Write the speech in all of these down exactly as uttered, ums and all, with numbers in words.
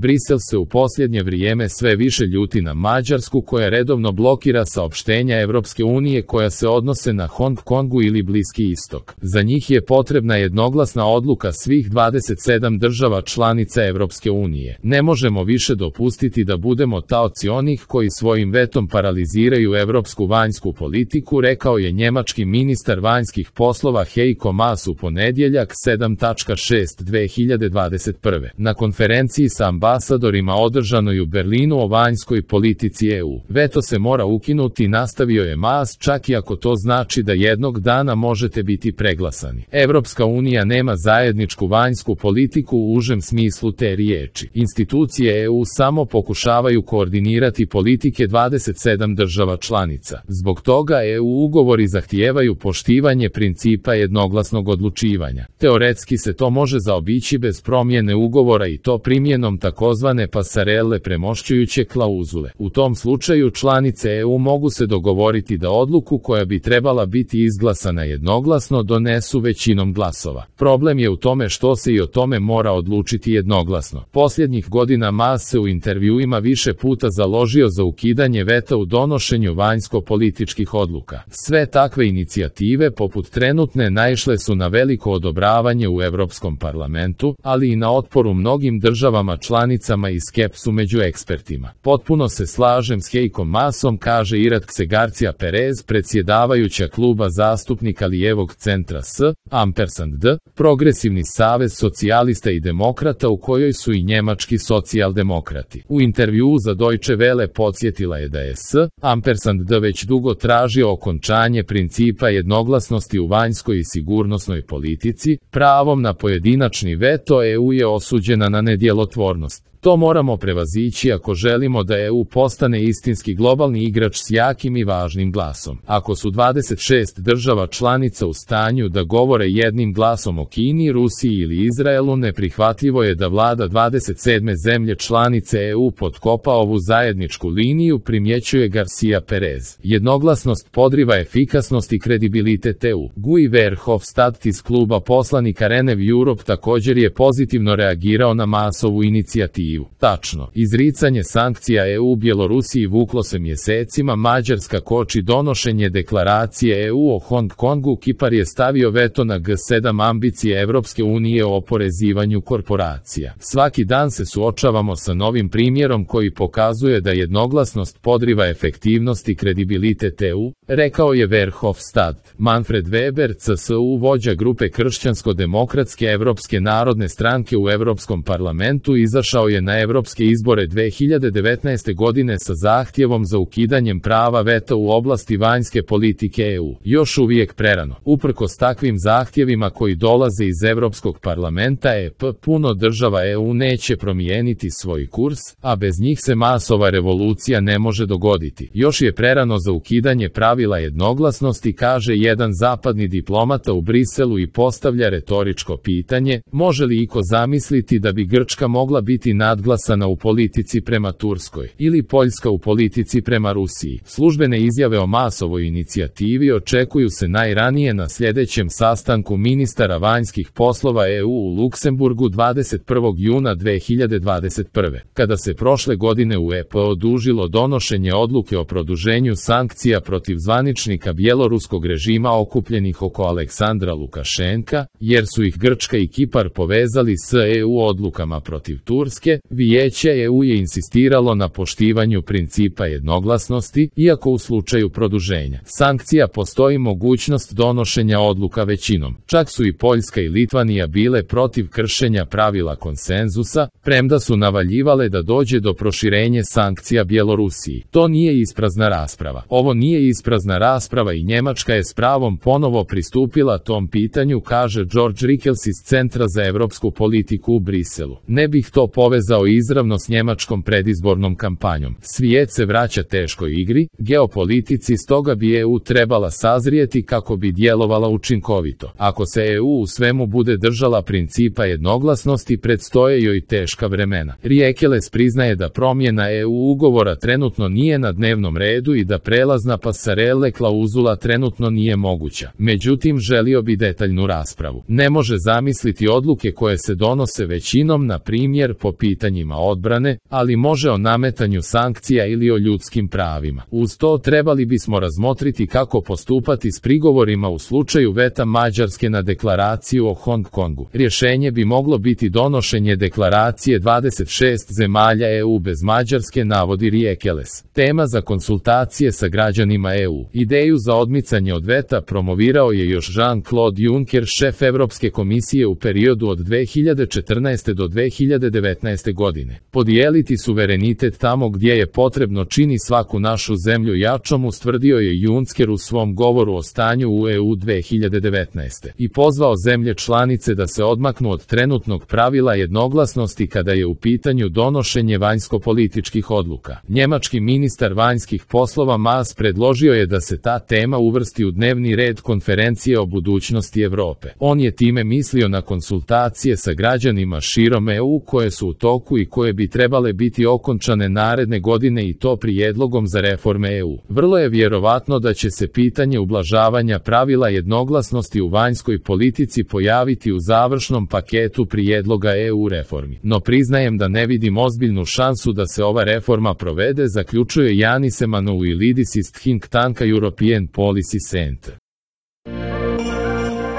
Brisel se u posljednje vrijeme sve više ljuti na Mađarsku koja redovno blokira saopštenja Evropske unije koja se odnose na Hong Kongu ili Bliski istok. Za njih je potrebna jednoglasna odluka svih dvadeset sedam država članica Evropske unije. Ne možemo više dopustiti da budemo taoci onih koji svojim vetom paraliziraju evropsku vanjsku politiku, rekao je njemački ministar vanjskih poslova Heiko Maas u ponedjeljak sedam šest dve hiljade dvadeset prve. na konferenciji sa ambasadorima održanoj u Berlinu o vanjskoj politici E U. Veto se mora ukinuti, nastavio je Maas, čak i ako to znači da jednog dana možete biti preglasani. Evropska unija nema zajedničku vanjsku politiku u užem smislu te riječi. Institucije E U samo pokušavaju koordinirati politike dvadeset sedam država članica. Zbog toga E U ugovori zahtijevaju poštivanje principa jednoglasnog odlučivanja. Teoretski se to može zaobići bez promjene ugovora i to primjenom takozvane pasarele premošćujuće klauzule. U tom slučaju članice E U mogu se dogovoriti da odluku koja bi trebala biti izglasana jednoglasno donesu većinom glasova. Problem je u tome što se i o tome mora odlučiti jednoglasno. Posljednjih godina Maas se u intervjuima više puta založio za ukidanje veta u donošenju vanjsko-političkih odluka. Sve takve inicijative poput trenutne naišle su na veliko odobravanje u Europskom parlamentu, ali i na otporu mnogim državama članicama i skepsu među ekspertima. Potpuno se slažem s Heikom Maasom, kaže Iratxe Garcia Perez, predsjedavajuća kluba zastupnika lijevog centra S, ampersand D, Progresivni savez socijalista i demokrata u kojoj su i njemački socijaldemokrati. U intervjuu za Deutsche Welle podsjetila je da je S, ampersand D već dugo tražio okončanje principa jednoglasnosti u vanjskoj i sigurnosnoj politici, pravom na pojedinačni veto E U je osuđena na nedjelotvornost. To moramo prevazići ako želimo da E U postane istinski globalni igrač s jakim i važnim glasom. Ako su dvadeset šest država članica u stanju da govore jednim glasom o Kini, Rusiji ili Izraelu, neprihvatljivo je da vlada dvadeset sedme zemlje članice E U potkopa ovu zajedničku liniju, primjećuje Garcia Perez. Jednoglasnost podriva efikasnost i kredibilitet E U. Guy Verhofstadt iz kluba poslanika Renew Europe također je pozitivno reagirao na Maasovu inicijativu. Tačno, izricanje sankcija E U Bjelorusiji vuklo se mjesecima, Mađarska koči donošenje deklaracije E U o Hong Kongu, Kipar je stavio veto na G sedam ambicije Evropske unije o oporezivanju korporacija. Svaki dan se suočavamo sa novim primjerom koji pokazuje da jednoglasnost podriva efektivnost i kredibilitet E U, rekao je Verhofstadt. Manfred Weber, C S U, vođa grupe Kršćansko-demokratske Evropske narodne stranke u Europskom parlamentu, izašao je na evropske izbore dve hiljade devetnaeste. godine sa zahtjevom za ukidanjem prava veta u oblasti vanjske politike E U. Još uvijek prerano. Uprkos takvim zahtjevima koji dolaze iz Europskog parlamenta, E P, puno država E U neće promijeniti svoj kurs, a bez njih se masova revolucija ne može dogoditi. Još je prerano za ukidanje pravila jednoglasnosti, kaže jedan zapadni diplomata u Briselu i postavlja retoričko pitanje, može li iko zamisliti da bi Grčka mogla biti nadglasana u politici prema Turskoj, ili Poljska u politici prema Rusiji. Službene izjave o Maasovoj inicijativi očekuju se najranije na sljedećem sastanku ministara vanjskih poslova E U u Luksemburgu dvadeset prvog juna dve hiljade dvadeset prve. Kada se prošle godine u E P odužilo donošenje odluke o produženju sankcija protiv zvaničnika bjeloruskog režima okupljenih oko Aleksandra Lukašenka, jer su ih Grčka i Kipar povezali s E U odlukama protiv Turske, Vijeće E U je insistiralo na poštivanju principa jednoglasnosti, iako u slučaju produženja sankcija postoji mogućnost donošenja odluka većinom. Čak su i Poljska i Litvanija bile protiv kršenja pravila konsenzusa, premda su navaljivale da dođe do proširenja sankcija Bjelorusiji. To nije isprazna rasprava. Ovo nije isprazna rasprava i Njemačka je s pravom ponovo pristupila tom pitanju, kaže George Rickels iz Centra za evropsku politiku u Briselu. Ne bih to povezao izravno s njemačkom predizbornom kampanjom. Svijet se vraća teškoj igri, geopolitici, stoga bi E U trebala sazrijeti kako bi djelovala učinkovito. Ako se E U u svemu bude držala principa jednoglasnosti, predstoje joj teška vremena. Riekeles priznaje da promjena E U ugovora trenutno nije na dnevnom redu i da prelazna pasarele klauzula trenutno nije moguća. Međutim, želio bi detaljnu raspravu. Ne može zamisliti odluke koje se donose većinom, na primjer po pitanju pitanjima odbrane, ali može o nametanju sankcija ili o ljudskim pravima. Uz to trebali bismo razmotriti kako postupati s prigovorima u slučaju veta Mađarske na deklaraciju o Hong Kongu. Rješenje bi moglo biti donošenje deklaracije dvadeset šest zemalja E U bez Mađarske, navodi Riekeles. Tema za konsultacije sa građanima E U. Ideju za odmicanje od veta promovirao je još Jean-Claude Juncker, šef Evropske komisije u periodu od dve hiljade četrnaeste do dve hiljade devetnaeste godine. Podijeliti suverenitet tamo gdje je potrebno čini svaku našu zemlju jačom, ustvrdio je Juncker u svom govoru o stanju u E U dve hiljade devetnaeste. i pozvao zemlje članice da se odmaknu od trenutnog pravila jednoglasnosti kada je u pitanju donošenje vanjsko-političkih odluka. Njemački ministar vanjskih poslova Maas predložio je da se ta tema uvrsti u dnevni red konferencije o budućnosti Europe. On je time mislio na konsultacije sa građanima širom E U koje su u toku i koje bi trebale biti okončane naredne godine, i to prijedlogom za reforme E U. Vrlo je vjerovatno da će se pitanje ublažavanja pravila jednoglasnosti u vanjskoj politici pojaviti u završnom paketu prijedloga E U reformi. No priznajem da ne vidim ozbiljnu šansu da se ova reforma provede, zaključuje Yanis Emmanouilidis iz think tanka European Policy Center.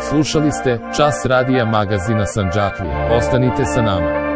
Slušali ste Čas radija magazina Sandžaklije. Ostanite sa nama.